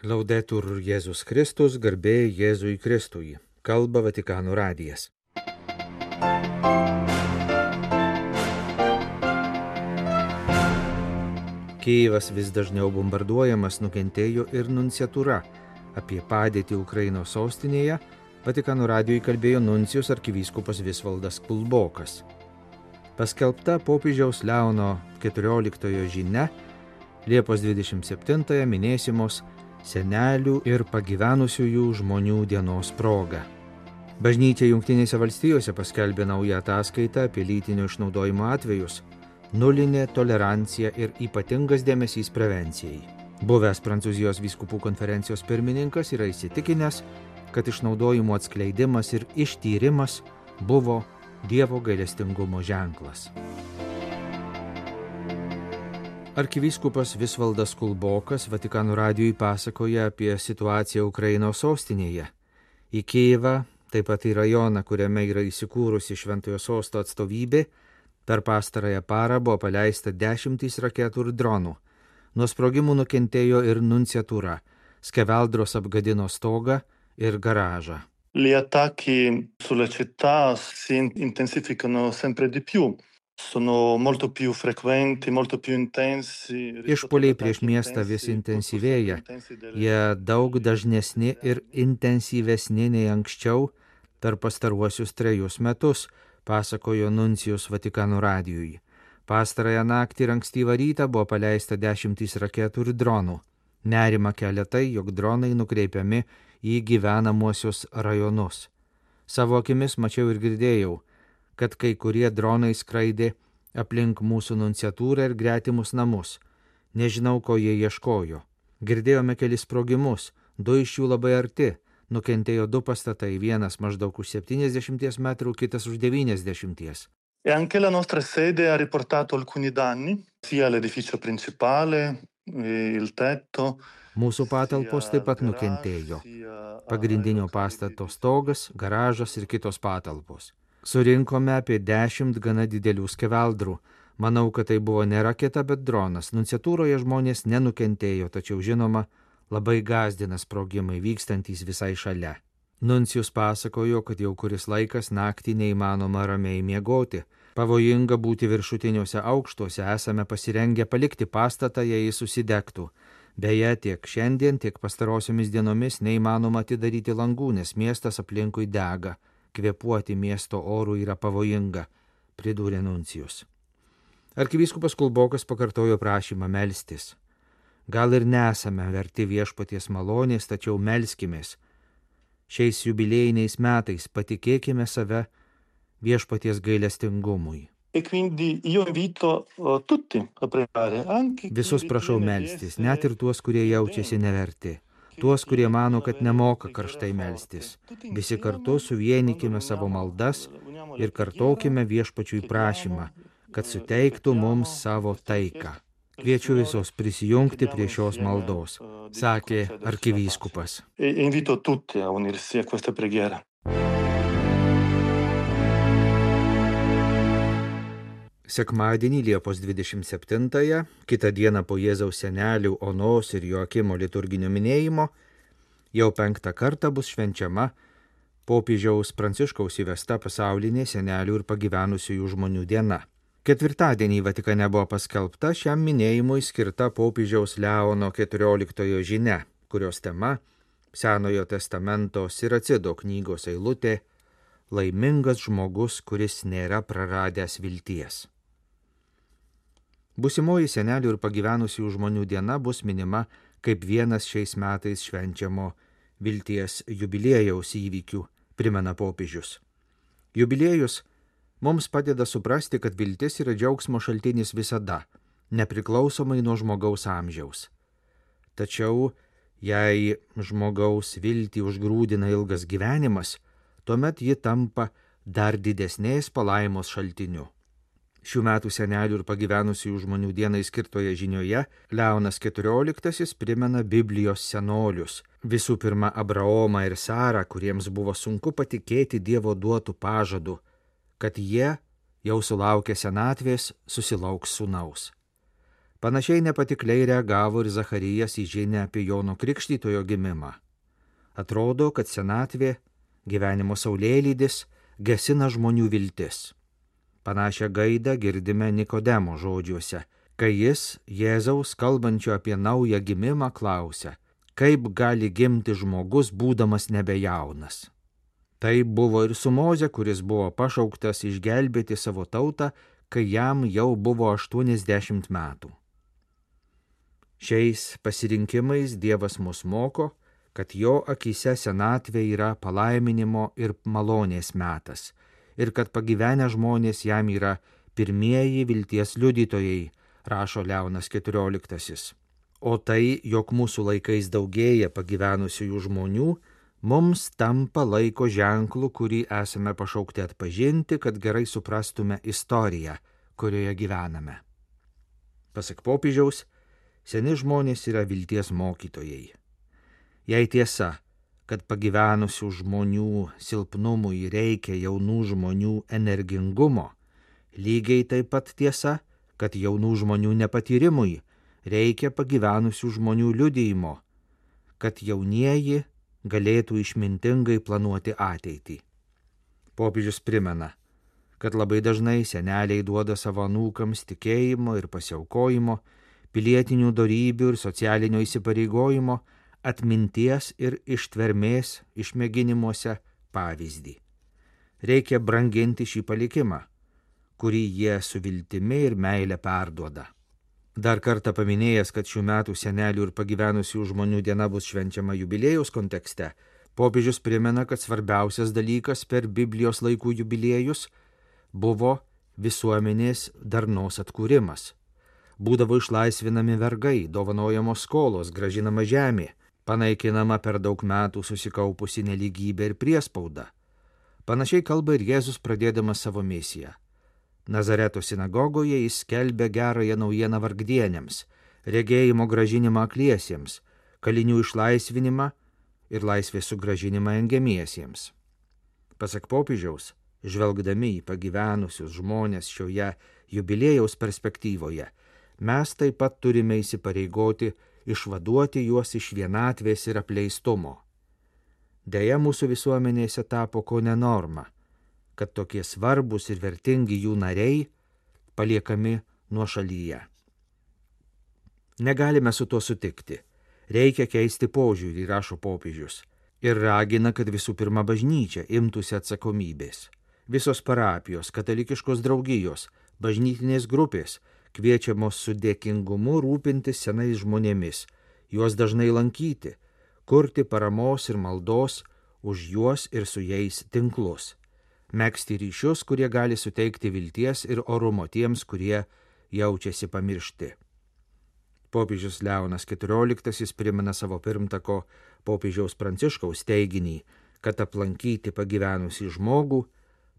Laudetur Jėzus Kristus, garbė Jėzui Kristui. Kalba Vatikano radijas. Kijevas vis dažniau bombarduojamas, nukentėjo ir nunciatūra. Apie padėtį Ukrainos sostinėje Vatikano radijui kalbėjo nuncijus arkivyskupas Visvaldas Kulbokas. Paskelbta popiežiaus Leono XIV žinia Liepos 27 minėsimos senelių ir pagyvenusiųjų žmonių dienos proga. Bažnyčia Jungtinėse valstijose paskelbė naują ataskaitą apie lytinio išnaudojimo atvejus, nulinė tolerancija ir ypatingas dėmesys prevencijai. Buvęs Prancūzijos vyskupų konferencijos pirmininkas yra įsitikinęs, kad išnaudojimo atskleidimas ir ištyrimas buvo Dievo gailestingumo ženklas. Arkivyskupas Visvaldas Kulbokas Vatikano radijui pasakoja apie situaciją Ukrainos sostinėje. Į Kijevą, taip pat į rajoną, kuriame yra įsikūrusi Šventojo Sosto atstovybė, per pastarąją parą buvo paleista 10 raketų ir dronų. Nuo sprogimų nukentėjo ir nunciatūra. Skeveldros apgadino stogą ir garažą. Gli attacchi sulla città si intensificano sempre di più. Sono molto più frequenti, molto più intensi. Išpuoliai prieš miestą vis intensyvėja. Jie daug dažnesni ir intensyvesni nei anksčiau per pastaruosius 3 metus, pasakojo nuncijus Vatikano radijui. Pastarąją naktį ir ankstyvą rytą buvo paleista 10 raketų ir dronų. Nerima kelia tai, jog dronai nukreipiami į gyvenamuosius rajonus. Savo akimis mačiau ir girdėjau, kad kai kurie dronai skraidė aplink mūsų nunciatūrą ir gretimus namus. Nežinau, ko jie ieškojo. Girdėjome kelis sprogimus, 2 iš jų labai arti. Nukentėjo 2 pastatai, vienas maždaug už 70 metrų, kitas už 90. E anche la nostra sede ha riportato alcuni danni, sia l'edificio principale, il tetto. Mūsų patalpos taip pat nukentėjo. Pagrindinio pastato stogas, garažas ir kitos patalpos. Surinkome apie 10 gana didelių skeveldrų. Manau, kad tai buvo ne raketa, bet dronas. Nunciatūroje žmonės nenukentėjo, tačiau žinoma, labai gąsdina sprogimai vykstantys visai šalia. Nuncijus pasakojo, kad jau kuris laikas naktį neįmanoma ramiai miegoti. Pavojinga būti viršutiniuose aukštuose, esame pasirengę palikti pastatą, jei jis susidegtų. Beje, tiek šiandien, tiek pastarosiomis dienomis neįmanoma atidaryti langų, nes miestas aplinkui dega. Kvėpuoti miesto orų yra pavojinga, pridūrė nuncijus. Arkivyskupas Kulbokas pakartojo prašymą melstis. Gal ir nesame verti viešpaties malonės, tačiau melskimės. Šiais jubiliejiniais metais patikėkime save viešpaties gailestingumui. Visus prašau melstis, net ir tuos, kurie jaučiasi neverti. Tuos, kurie mano, kad nemoka karštai melstis. Visi kartu suvienykime savo maldas ir kartokime viešpačiui prašymą, kad suteiktų mums savo taiką. Kviečiu visus prisijungti prie šios maldos, sakė arkivyskupas. Sekmadienį Liepos 27, kitą dieną po Jėzaus senelių Onos ir Joakimo liturginio minėjimo, jau 5 kartą bus švenčiama popiežiaus Pranciškaus įvesta pasaulinė senelių ir pagyvenusiųjų žmonių diena. Ketvirtadienį Vatikane buvo paskelbta šiam minėjimui skirta popiežiaus Leono XIV žinia, kurios tema Senojo testamento Siracido knygos eilutė Laimingas žmogus, kuris nėra praradęs vilties. Būsimoji senelių ir pagyvenusių žmonių diena bus minima kaip vienas šiais metais švenčiamo vilties jubiliejaus įvykių, primena popiežius. Jubiliejus mums padeda suprasti, kad viltis yra džiaugsmo šaltinis visada, nepriklausomai nuo žmogaus amžiaus. Tačiau, jei žmogaus viltį užgrūdina ilgas gyvenimas, tuomet ji tampa dar didesnės palaimos šaltiniu. Šių metų senelių ir pagyvenusių žmonių dienai skirtoje žinioje Leonas XIV primena Biblijos senolius. Visų pirma, Abraomą ir Sarą, kuriems buvo sunku patikėti Dievo duotų pažadų, kad jie, jau sulaukę senatvės, susilauks sūnaus. Panašiai nepatikliai reagavo ir Zacharijas į žinią apie Jono Krikštytojo gimimą. Atrodo, kad senatvė, gyvenimo saulėlydis, gesina žmonių viltis. Panašią gaidą girdime Nikodemo žodžiuose, kai jis Jėzaus kalbančio apie naują gimimą klausia, kaip gali gimti žmogus, būdamas nebejaunas. Tai buvo ir su Moze, kuris buvo pašauktas išgelbėti savo tautą, kai jam jau buvo 80 metų. Šiais pasirinkimais Dievas mus moko, kad jo akyse senatvė yra palaiminimo ir malonės metas, ir kad pagyvenę žmonės jam yra pirmieji vilties liudytojai, rašo Leonas XIV. O tai, jog mūsų laikais daugėja pagyvenusiųjų žmonių, mums tampa laiko ženklu, kurį esame pašaukti atpažinti, kad gerai suprastume istoriją, kurioje gyvename. Pasak popiežiaus, seni žmonės yra vilties mokytojai. Jei tiesa, kad pagyvenusių žmonių silpnumui reikia jaunų žmonių energingumo, lygiai taip pat tiesa, kad jaunų žmonių nepatyrimui reikia pagyvenusių žmonių liudijimo, kad jaunieji galėtų išmintingai planuoti ateitį. Popiežius primena, kad labai dažnai seneliai duoda savo anūkams tikėjimo ir pasiaukojimo, pilietinių dorybių ir socialinio įsipareigojimo, atminties ir ištvermės išmėginimuose pavyzdį. Reikia branginti šį palikimą, kurį jie su viltimi ir meile perduoda. Dar kartą paminėjęs, kad šių metų senelių ir pagyvenusių žmonių diena bus švenčiama jubiliejaus kontekste, popiežius primena, kad svarbiausias dalykas per Biblijos laikų jubiliejus buvo visuomenės darnos atkūrimas. Būdavo išlaisvinami vergai, dovanojamos skolos, grąžinama žemė, panaikinama per daug metų susikaupusi nelygybė ir priespauda. Panašiai kalba ir Jėzus pradėdamas savo misiją. Nazareto sinagogoje jis skelbė gerąją naujieną vargdienėms, regėjimo grąžinimą akliesiems, kalinių išlaisvinimą ir laisvės sugrąžinimą engiamiesiems. Pasak popiežiaus, žvelgdami į pagyvenusius žmonės šioje jubiliejaus perspektyvoje, mes taip pat turime įsipareigoti išvaduoti juos iš vienatvės ir apleistumo. Deja, mūsų visuomenėse tapo kone norma, kad tokie svarbus ir vertingi jų nariai paliekami nuošalyje. Negalime su tuo sutikti. Reikia keisti požiūrį, rašo popiežius, ir ragina, kad visų pirma bažnyčia imtųsi atsakomybės. Visos parapijos, katalikiškos draugijos, bažnytinės grupės kviečiamos su dėkingumu rūpintis senais žmonėmis, juos dažnai lankyti, kurti paramos ir maldos už juos ir su jais tinklus, megzti ryšius, kurie gali suteikti vilties ir orumo tiems, kurie jaučiasi pamiršti. Popiežius Leonas XIV primena savo pirmtako popiežiaus Pranciškaus teiginį, kad aplankyti pagyvenusį žmogų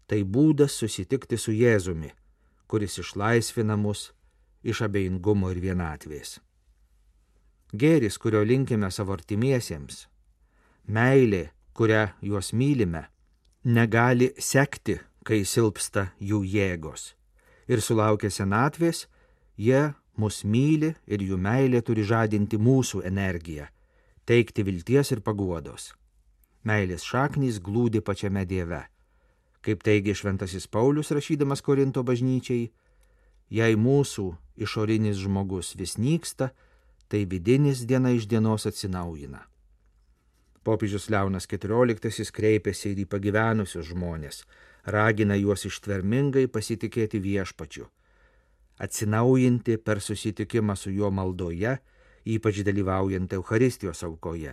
tai būdas susitikti su Jėzumi, kuris išlaisvina mus iš abejingumo ir vienatvės. Gėris, kurio linkime savo artimiesiems, meilė, kurią juos mylime, negali sekti, kai silpsta jų jėgos. Ir sulaukę senatvės, jie mus myli ir jų meilė turi žadinti mūsų energiją, teikti vilties ir paguodos. Meilės šaknys glūdi pačiame Dieve. Kaip teigia šventasis Paulius rašydamas Korinto bažnyčiai, jei mūsų išorinis žmogus vis nyksta, tai vidinis diena iš dienos atsinaujina. Popiežius Leonas XIV kreipėsi ir į pagyvenusius žmonės, ragina juos ištvermingai pasitikėti viešpačiu, atsinaujinti per susitikimą su juo maldoje, ypač dalyvaujant Eucharistijos aukoje.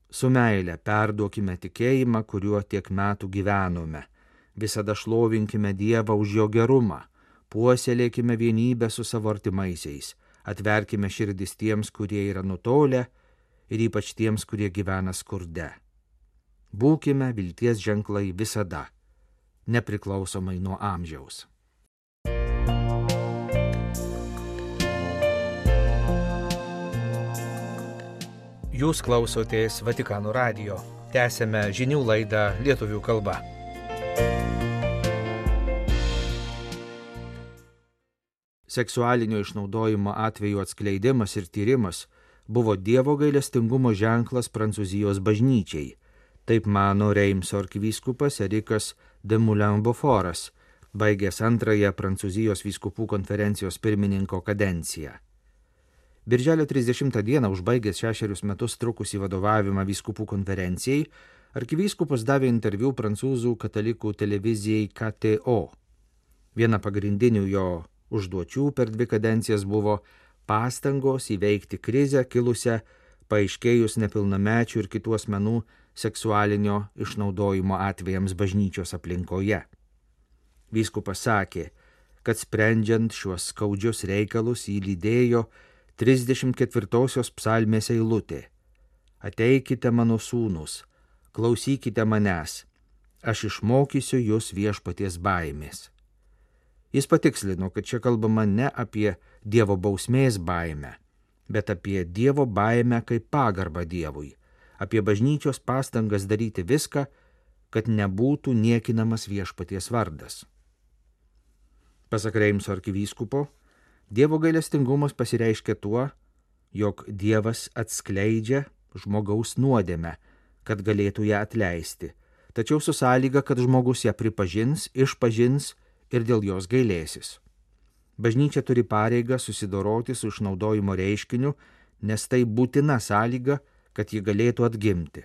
Su meile perduokime tikėjimą, kuriuo tiek metų gyvenome, visada šlovinkime Dievą už jo gerumą, puoselėkime vienybę su savo artimaisiais, atverkime širdis tiems, kurie yra nutolę, ir ypač tiems, kurie gyvena skurde. Būkime vilties ženklai visada, nepriklausomai nuo amžiaus. Jūs klausotės Vatikano radijo. Tęsėme žinių laidą lietuvių kalba. seksualinio išnaudojimo atvejų atskleidimas ir tyrimas buvo Dievo gailestingumo ženklas Prancūzijos bažnyčiai. Taip mano Reimso arkivyskupas Erikas de Moulin-Beaufortas, baigęs antrąją Prancūzijos vyskupų konferencijos pirmininko kadenciją. Birželio 30 dieną, užbaigęs 6 metus trukusį vadovavimą vyskupų konferencijai, arkivyskupas davė interviu prancūzų katalikų televizijai KTO. Viena pagrindinių jo užduočių per 2 kadencijas buvo pastangos įveikti krizę kilusią paaiškėjus nepilnamečių ir kitų asmenų seksualinio išnaudojimo atvejams bažnyčios aplinkoje. Vyskupas sakė, kad sprendžiant šiuos skaudžius reikalus jį lydėjo 34 psalmės eilutė: Ateikite mano sūnus, klausykite manęs, aš išmokysiu jūs viešpaties baimės. Jis patikslino, kad čia kalbama ne apie Dievo bausmės baimę, bet apie Dievo baimę kaip pagarbą Dievui, apie bažnyčios pastangas daryti viską, kad nebūtų niekinamas viešpaties vardas. Pasak Reimso arkivyskupo, Dievo gailestingumas pasireiškia tuo, jog Dievas atskleidžia žmogaus nuodėmę, kad galėtų ją atleisti, tačiau su sąlyga, kad žmogus ją pripažins, išpažins ir dėl jos gailėsis. Bažnyčia turi pareigą susidoroti su išnaudojimo reiškiniu, nes tai būtina sąlyga, kad ji galėtų atgimti.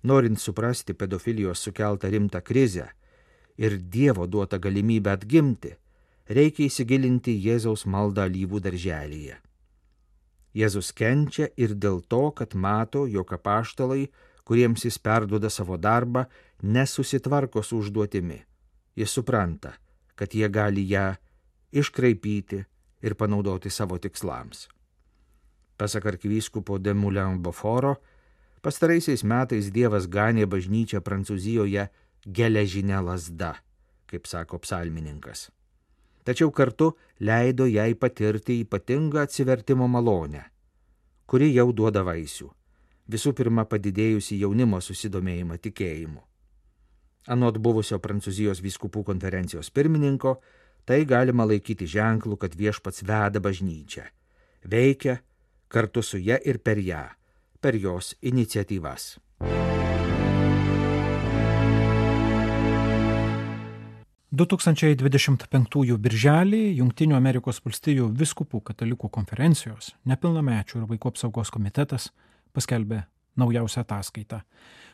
Norint suprasti pedofilijos sukeltą rimtą krizę ir Dievo duotą galimybę atgimti, reikia įsigilinti Jėzaus maldą alyvų darželyje. Jėzus kenčia ir dėl to, kad mato, jog apaštalai, kuriems jis perduoda savo darbą, nesusitvarko su užduotimi. Jis supranta, kad jie gali ją iškraipyti ir panaudoti savo tikslams. Pasak arkivyskupo de Moulin-Beauforto, pastaraisiais metais Dievas ganė bažnyčią Prancūzijoje geležinę lazdą, kaip sako psalmininkas. Tačiau kartu leido jai patirti ypatingą atsivertimo malonę, kuri jau duoda vaisių, visų pirma padidėjusi jaunimo susidomėjimą tikėjimu. Anot buvusio Prancūzijos vyskupų konferencijos pirmininko, tai galima laikyti ženklu, kad viešpats veda bažnyčią, veikia kartu su ja ir per ją, per jos iniciatyvas. – 2025 birželį Jungtinių Amerikos valstijų vyskupų katalikų konferencijos nepilnamečių ir vaikų apsaugos komitetas paskelbė naujausią ataskaitą,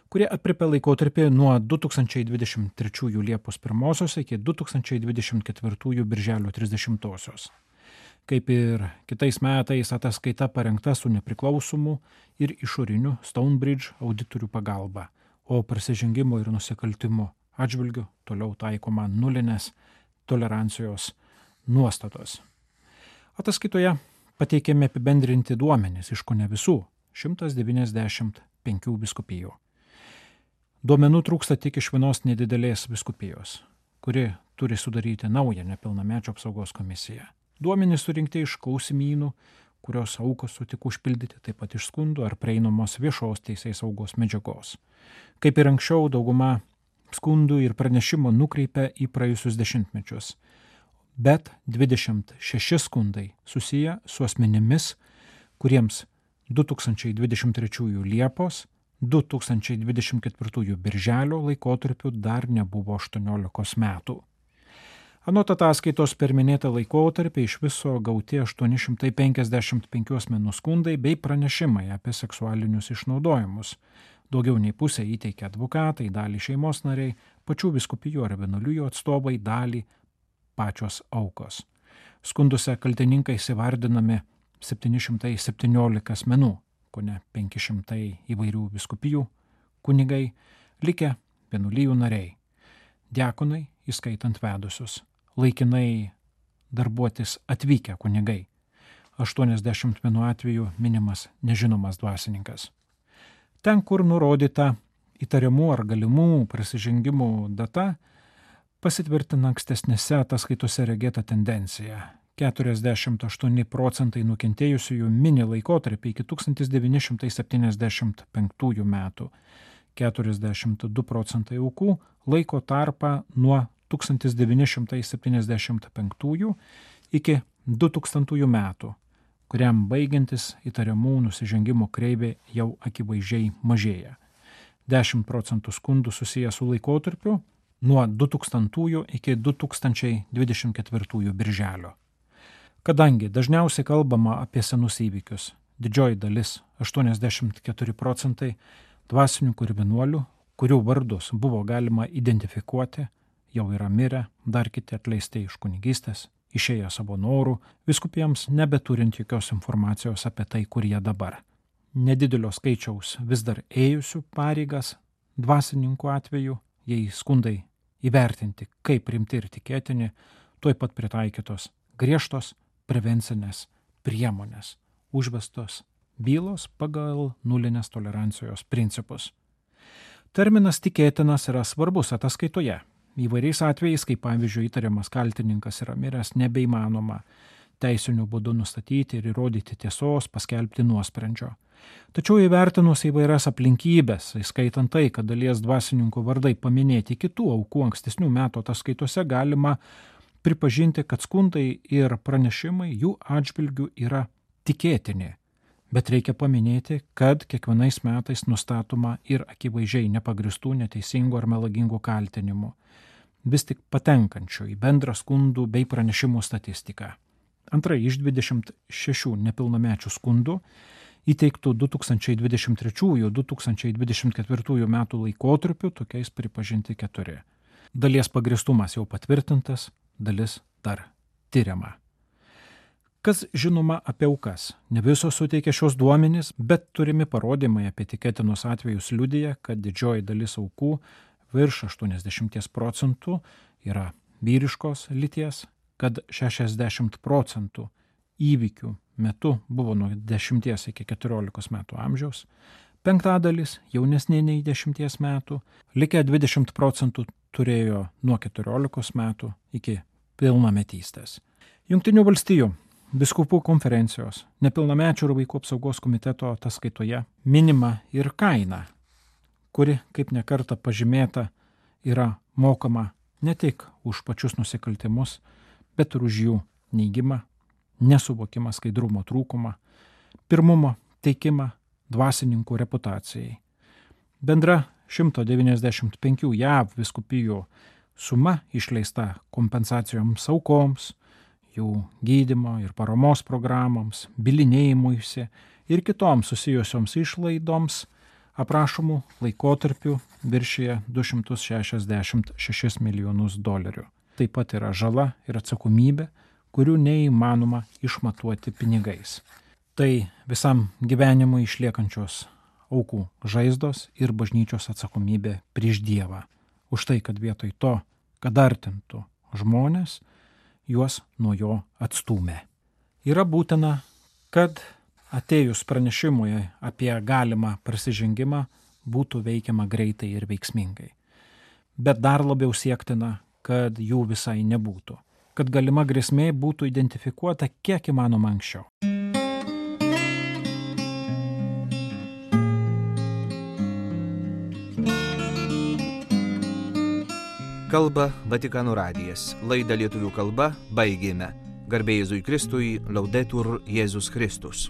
kurie aprėpia laikotarpį nuo 2023 Liepos 1 iki 2024 Birželio 30. Kaip ir kitais metais, ataskaita parengta su nepriklausomu ir išoriniu Stonebridge auditorių pagalba, o prasižengimo ir nusikaltimo atžvilgiu toliau taikoma nulinės tolerancijos nuostatos. Ataskaitoje pateikiami apibendrinti duomenys iš kone visų 195 vyskupijų. Duomenų trūksta tik iš vienos nedidelės vyskupijos, kuri turi sudaryti naują nepilnamečio apsaugos komisiją. Duomenys surinkti iš klausimynų, kurios aukos sutiko užpildyti, taip pat iš skundų ar prieinamos viešos teisės saugos medžiagos. Kaip ir anksčiau, dauguma skundų ir pranešimo nukreipia į praėjusius dešimtmečius, bet 26 skundai susiję su asmenimis, kuriems 2023 Liepos, 2024 Birželio laikotarpiu dar nebuvo 18 metų. Anot ataskaitos per minėtą laikotarpį iš viso gauti 855 asmenų skundai bei pranešimai apie seksualinius išnaudojimus. Daugiau nei pusė įteikė advokatai, dalį šeimos nariai, pačių vyskupijų ar vienuolijų atstovai, dalį pačios aukos. Skunduose kaltininkais įvardinami 717 asmenų, kone 500 įvairių vyskupijų, kunigai, likę vienuolijų nariai, diakonai, įskaitant vedusius, laikinai darbuotis atvykę kunigai, 81 atveju minimas nežinomas dvasininkas. Ten, kur nurodyta įtariamų ar galimų prasižengimų data, pasitvirtina ankstesnėse ataskaitose regėta tendencija. 48% nukentėjusiųjų mini laikotarpį iki 1975 metų, 42% aukų laiko tarpą nuo 1975 iki 2000 metų, kuriam baigiantis įtariamų nusižengimų kreivė jau akivaizdžiai mažėja. 10% skundų susiję su laikotarpiu nuo 2000 iki 2024 birželio. Kadangi dažniausiai kalbama apie senus įvykius, didžioji dalis, 84%, dvasininkų ir vienuolių, kurių vardus buvo galima identifikuoti, jau yra mirę, dar kiti atleisti iš kunigystės, išėję savo norų, vyskupijams nebeturint jokios informacijos apie tai, kur jie dabar. Nedidelio skaičiaus vis dar ėjusių pareigas dvasininkų atveju, jei skundai įvertinti kaip rimti ir tikėtini, tuoj pat pritaikytos griežtos prevencinės priemonės, užvestos bylos pagal nulinės tolerancijos principus. Terminas tikėtinas yra svarbus ataskaitoje. Įvairiais atvejais, kaip pavyzdžiui įtariamas kaltininkas yra miręs, nebeįmanoma teisiniu būdu nustatyti ir įrodyti tiesos, paskelbti nuosprendžio. Tačiau įvertinus įvairias aplinkybės, įskaitant tai, kad dalies dvasininkų vardai paminėti kitų aukų ankstesnių metų ataskaitose, galima pripažinti, kad skundai ir pranešimai jų atžvilgių yra tikėtini. Bet reikia paminėti, kad kiekvienais metais nustatoma ir akivaizdžiai nepagristų, neteisingų ar melagingų kaltinimų, vis tik patenkančių į bendrą skundų bei pranešimų statistiką. Antrai iš 26 nepilnamečių skundų įteiktų 2023-2024 metų laikotarpiu tokiais pripažinti 4. Dalies pagristumas jau patvirtintas, dalis dar tyriama. Kas žinoma apie aukas? Ne visos suteikia šios duomenys, bet turimi parodymai apie tikėtinus atvejus liudija, kad didžioji dalis aukų, virš 80%, yra vyriškos lyties, kad 60% įvykių metu buvo nuo 10 iki 14 metų amžiaus, 5% jaunesnė nei 10 metų, likę 20% turėjo nuo 14 metų iki pilnametystės. Jungtinių valstijų Vyskupų konferencijos nepilnamečių ir vaikų apsaugos komiteto ataskaitoje minima ir kaina, kuri, kaip nekarta pažymėta, yra mokama ne tik už pačius nusikaltimus, bet ir už jų neigimą, nesuvokimą, skaidrumo trūkumą, pirmumo teikimą dvasininkų reputacijai. Bendra 195 JAV vyskupijų suma išleista kompensacijoms aukoms, jų gydymo ir paramos programoms, bylinėjimuisi ir kitoms susijusioms išlaidoms aprašomų laikotarpių viršyje $266 milijonus. Taip pat yra žala ir atsakomybė, kurių neįmanoma išmatuoti pinigais. Tai visam gyvenimui išliekančios aukų žaizdos ir bažnyčios atsakomybė prieš Dievą. Už tai, kad vietoj to, kad artintų žmonės, juos nuo jo atstūmė. Yra būtina, kad atėjus pranešimui apie galimą prasižengimą būtų veikiama greitai ir veiksmingai. Bet dar labiau siektina, kad jų visai nebūtų, kad galima grėsmė būtų identifikuota kiek įmanoma anksčiau. Kalba Vatikano radijas. Laidą lietuvių kalba baigėme. Garbė Jėzui Kristui, Laudetur Jėzus Kristus.